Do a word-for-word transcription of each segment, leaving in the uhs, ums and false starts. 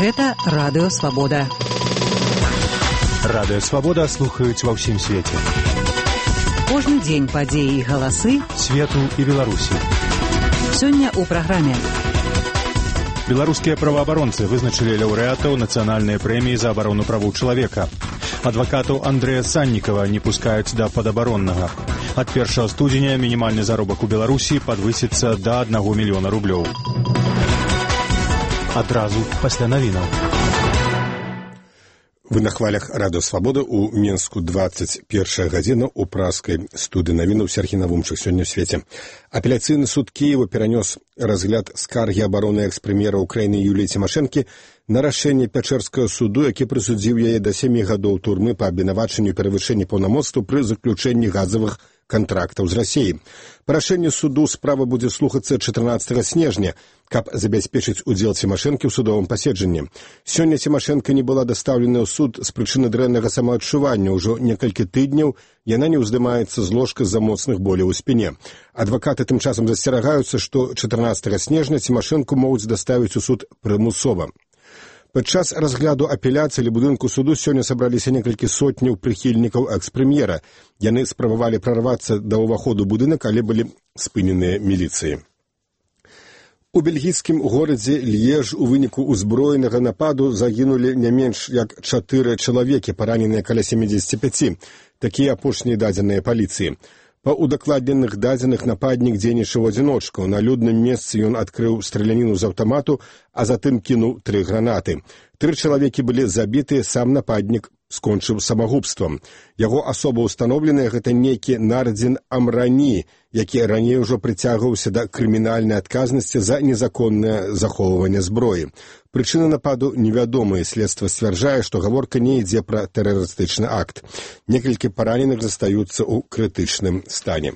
Гэта Радыё Свабода. Радыё Свабода слухаюць ва ўсім свеце. Кожны дзень падзеі і галасы свету і Беларусі. Сёння ў праграме. Беларускія праваабаронцы вызначылі лаўрэатаў нацыянальнай прэміі за абарону правоў чалавека. Адвакатаў Андрэя Саннікава не пускаюць да падабароннага. Ад першага студзеня мінімальны заробак у Беларусі падвысіцца да аднаго мільёна рублёў. Адразу пасля навінаў. Вы на хвалях Радыё Свабода у Менску двадцать першая гадзіна у праскай студыі навінаў Сергій Навумчык сёння ў свеце. Апеляцыйны суд Кіева перанёс разгляд скаргі абароны экс-прэм'ера Украіны Юліі Цімашэнкі на рашэнне Пячэрскага суду, які прысудзіў яе да сямі гадоў турмы па абвінавачанню перавышэння паўнамоцтваў пры заключэнні газавых кантрактаў з Расіяй. Па рашэнню суду справа будзе слухацца чатырнаццатага снежня, каб забяспечыць удзел Цімашэнкі ў судовым паседжанні. Сёння Цімашэнка не была дастаўлена ў суд з прычыны дрэннага самаадчування. Ужо некалькі тыдняў яна не ўздымаецца з ложка з-за моцных боляў у спіне. Адвакаты тым часам засцерагаюцца, што чатырнаццатага снежня Цімашэнку могуць даставіць у суд прымусова. Падчас разгляду апеляцыі ля будынку суду сёння сабраліся некалькі сотняў прыхільнікаў экс-прэм'ера. Яны спрабавалі прарвацца да ўваходу будынак, але былі спыненыя міліцыяй. У бельгійскім горадзе Льеж у выніку ўзброенага нападу загінулі не менш як чатыры чалавекі, параненыя каля семидзесяти пяти. Такія апошнія дадзеныя паліцыі. Па удакладненых дадзеных нападнік дзейнічаў у адзіночку. На людным месцы ён адкрыў страляніну з аўтамату, а затым кінуў тры гранаты. Тры чалавекі былі забітыя, сам нападнік скончыў самагубствам. Яго асоба ўстаноўленая — гэта нейкі Нардзін Амрані, які раней ужо прыцягваўся да крымінальнай адказнасці за незаконнае захоўванне зброі. Прычына нападу невядомая. Следства сцвярджае, што гаворка не ідзе пра тэрарыстычны акт. Некалькі параненых застаюцца ў крытычным стане.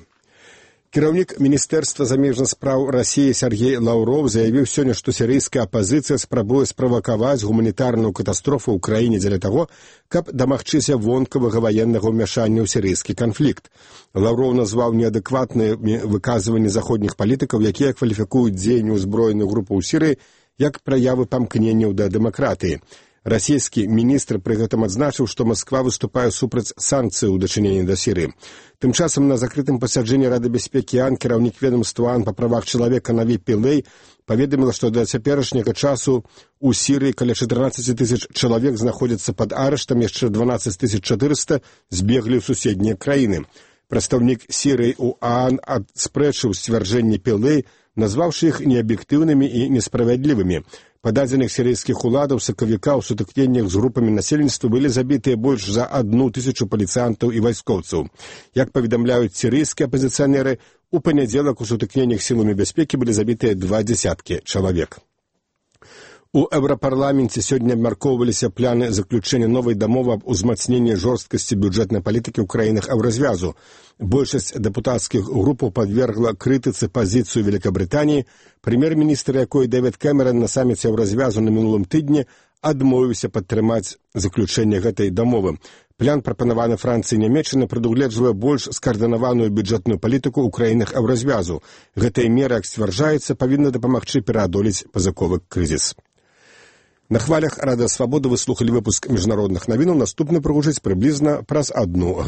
Кіраўнік Міністэрства замежных спраў Расіі Сергей Лаўров заявіў сёння, што сірыйская апазіцыя спрабуе справакаваць гуманітарную катастрофу ў краіне дзеля таго, каб дамагчыся вонкавага ваеннага ўмяшання ў сірыйскі канфлікт. Лаўров назваў неадэкватныя выказванні заходніх палітыкаў, якія кваліфікуюць дзеянне ўзброеных групаў у Сірыі як праявы памкненняў да дэмакратыі. Расійскі міністр пры гэтым адзначыў, што Масква выступае супраць санкцый у дачыненні да Сірыі. Тым часам на закрытым пасяджэнні Рады бяспекі АН кіраўнік ведомства АН па правах чалавека Наві Пілэй паведаміла, што да цяперашняга часу у Сірыі каля чатырнаццаць тысяч чалавек знаходзяцца пад арыштам, яшчэ дванаццаць тысяч чатырыста збеглі ў суседнія краіны. Прадстаўнік Сірыі ў АН адспрэчыў сцвярджэнні Пілэй, назваўшы іх неаб'ектыўнымі і несправядлівымі. Па дадзеных сірыйскіх уладаў сакавіка ў сутыкненнях з групамі насельніцтва былі забітыя больш за адну тысячу паліцыянтаў і вайскоўцаў. Як паведамляюць сірыйскія апазіцыянеры, у панядзелак у сутыкненнях сіламі бяспекі былі забітыя два дзесяткі чалавек. У Еўрапарламенце сёння абмяркоўваліся планы заключэння новай дамовы аб узмацненні жорсткасці бюджэтнай палітыкі ў краінах Еўразвязу. Большасць дэпутацкіх групаў падвергла крытыцы пазіцыю Великабрытаніі, прэм'ер-міністр якой Дэвід Кэмерон на саміце Еўразвязу на мінулым тыдні адмовіўся падтрымаць заключэнне гэтай дамовы. План, прапанаваны Францыі і Нямецчынай, прадугледжвае больш скаардынаваную бюджэтную палітыку ў краінах Еўразвязу. Гэтая мера, як сцвярджаецца, павінна дапамагчы пераадолець пазыковы крызіс. На хвалях Радыё Свабода вы слухалі выпуск міжнародных навінаў. Наступны прагучыць прыблізна праз адну